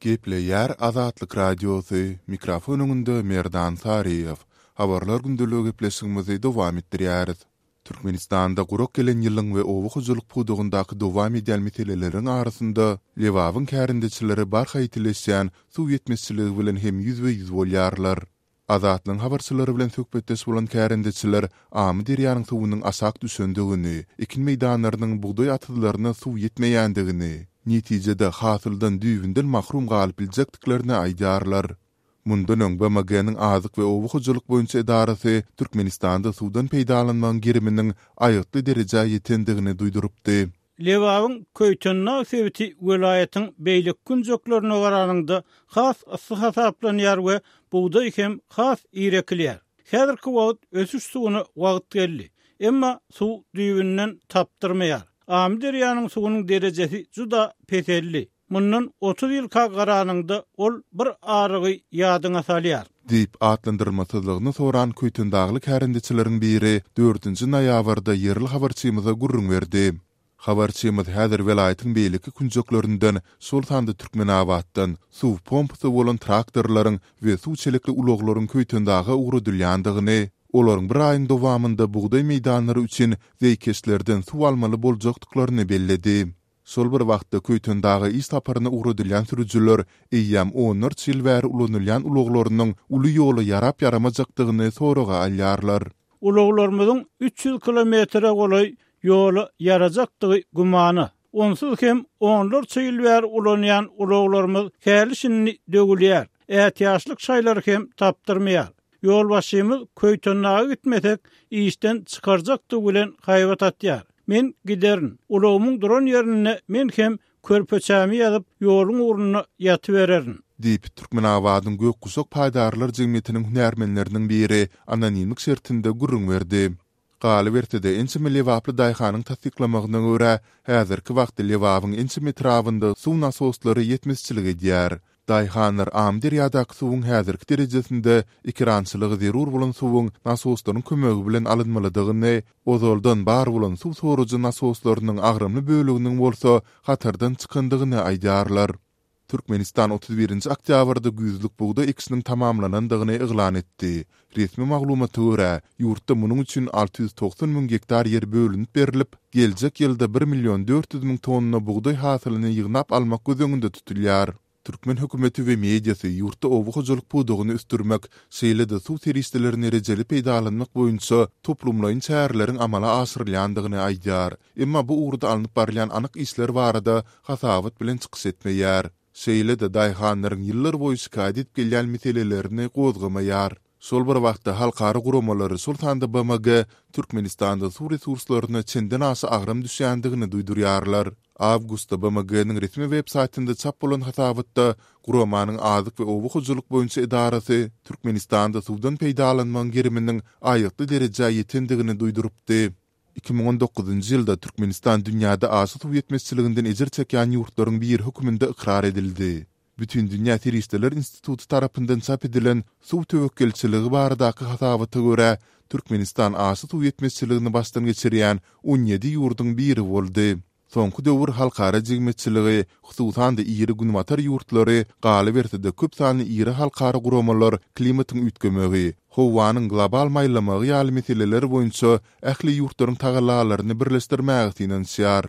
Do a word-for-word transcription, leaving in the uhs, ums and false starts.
Gepleýär Azatlyk Radiosy, mikrofon öňünde Merdan Saryýew. Habarlar gündeligi gepleşigimizi dowam etdirýäris. Türkmenistanda gurak gelen ýylyň we oba hojalyk pudagyndaky dowam edýän meseleleriň arasynda Lebabyň kärendeçileri barha ýitileşýän suw ýetmezçiligi bilen hem ýüzbe-ýüz bolýarlar. Azatlygyň habarçylary bilen söhbetdeş bolan kärendeçiler Amyderýanyň suwunyň aşak düşendigini, ekin meýdanlarynyň bugdaý atyzlaryna suw ýetmeýändigini, netijede hasyldan düýbünden mahrum galyp biljekdiklerini aýdýarlar. Mundan öň B M G-niň Azyk we oba hojalyk boýunça edarasy Türkmenistanda suwdan peýdalanmagyň geriminiň aýgytly derejä ýetendigini duýdurypdy. Lebabyň Köýtendag sebiti welaýatyň beýleki künjeklerine garanyňda has yssy hasaplanýar we bugdaý hem has ir ekilýär. Häzirki wagt ösüş suwuna wagt geldi. Emma suw düýbünden tapdyrmaýar. Amyderýanyň suwunyň derejesi juda peseldi. Mundan otuz ýylka garanyňda ol bir arygy ýadyňa salýar. Diýip, atlandyrylmasyzlygyny soran Köýtendagly kärendeçileriň biri dördünji noýabrda ýerli habarçymyza gürrüň berdi. Habarçymyz häzir welaýatyň beýleki künjeklerinden, şol sanda Türkmenabatdan suw pompasy bolan traktorlaryň we suw çelekli ulaglaryň Köýtendaga ugradylýandygyny, olaryň bir aýyň dowamynda bugdaý meýdanlary üçin zeýkeşlerden suw almaly boljakdyklaryny belledi. Şol bir wagtda Köýtendaga iş saparyna ugradylýan sürüjiler eýýäm onlarça ýyl bäri ulanylýan ulaglarynyň uly ýola ýarap-ýaramajakdygyny soraga alýarlar. Ulaglarymyzyň üç ýüz kilometre golaý ýola ýarajakdygy gümana. Onsuz hem onlarça ýyl bäri ulanýan ulaglarymyz häli şindi döwülýär. Ätiýaçlyk şaýlary hem tapdyrmaýar. Ýolbaşçymyz Köýtendaga gitmesek işden çykarjakdygy bilen haýbat atýar. Men giderin. Ulagymyň duran ýerinde men hem körpeçämi ýazyp ýoluň ugrunda ýatybererin. Diýip, Türkmenabadyň Gök guşak paýdarlar jemgyýetiniň hünärmenleriniň biri anonimlik şertinde gürrüň berdi. Galyberse-de, ençeme lebaply daýhanyň tassyklamagyna görä, häzirki wagtda Lebabyň ençeme etrabynda suw nasoslary ýetmezçilik edýär. Daýhanlar Amyderýadaky suwuň häzirki derejesinde ekerançylyga zerur bolan suwuň nasoslaryň kömegi bilen alynmalydygyny, ozaldan bar bolan suw sorujy nasoslarynyň agramly böleginiň bolsa hatardan çykandygyny aýdýarlar. Türkmenistan otuz birinji oktýabrda güýzlük bugdaý ekişiniň tamamlanandygyny yglan etdi. Resmi maglumata görä, ýurtda munuň üçin alty ýüz togsan müň gektar ýer bölünip berlip, geljek ýylda bir million dört ýüz müň tonna bugdaý hasylyny ýygnap almak göz öňünde tutulýar. Türkmen hökümeti we mediasy ýurtda oba hojalyk pudagyny ösdürmek, şeýle-de suw serişdelerini rejeli peýdalanmak boýunça toplumlaýyn çäreleriň amala aşyrylýandygyny aýdýar. Emma bu ugurda alnyp barylýan anyk işler barada hasabat bilen çykyş etmeýär. Şeýle-de daýhanlaryň ýyllar boýy şikaýat edip gelýän meselelerini gozgamaýar. Şol bir wagtda halkara guramalary, şol sanda B M G Türkmenistanda suw resurslaryna çenden aşa agram düşýändigini duýdurýarlar. Awgustda B M G-niň resmi web saýtynda çap bolan hasabatda guramanyň Azyk we oba hojalyk boýunça edarasy Türkmenistanda suwdan peýdalanmagyň geriminiň aýgytly derejä ýetendigini duýdurypdy. Iki müň on dokuzynjy ýylda Türkmenistan dünýäde aşa suw ýetmezçiliginden ejir çekýän ýurtlaryň biri hökmünde ykrar edildi. Bütindünýä Serişdeler instituty tarapyndan çap edilen suw töwekgelçiligi baradaky hasabata görä, Türkmenistan aşa suw ýetmezçiligini başdan geçirýän on ýedi ýurduň biri boldy. Soňky döwür halkara jemgyýetçiligi, hususan-da iri günbatar ýurtlary, galyberse-de köp sanly iri halkara guramalar klimatyň üýtgemegi, howanyň global maýlamagy ýaly meseleler boýunça ähli ýurtlaryň tagallalaryny birleşdirmäge synanyşýar.